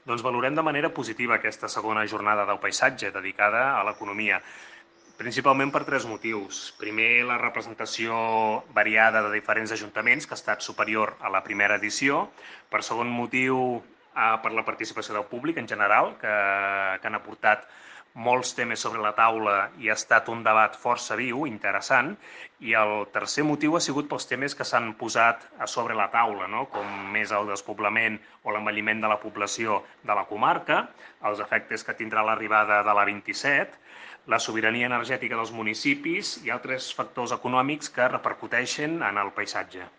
Doncs valorem de manera positiva aquesta segona jornada del paisatge dedicada a l'economia, principalment per tres motius. Primer, la representació variada de diferents ajuntaments, que ha estat superior a la primera edició. Per segon motiu, per la participació del públic en general, que han aportat molts temes sobre la taula i ha estat un debat força viu, interessant. I el tercer motiu ha sigut pels temes que s'han posat a sobre la taula, no? Com més el despoblament o l'envelliment de la població de la comarca, els efectes que tindrà l'arribada de la 27, la sobirania energètica dels municipis i altres factors econòmics que repercuteixen en el paisatge.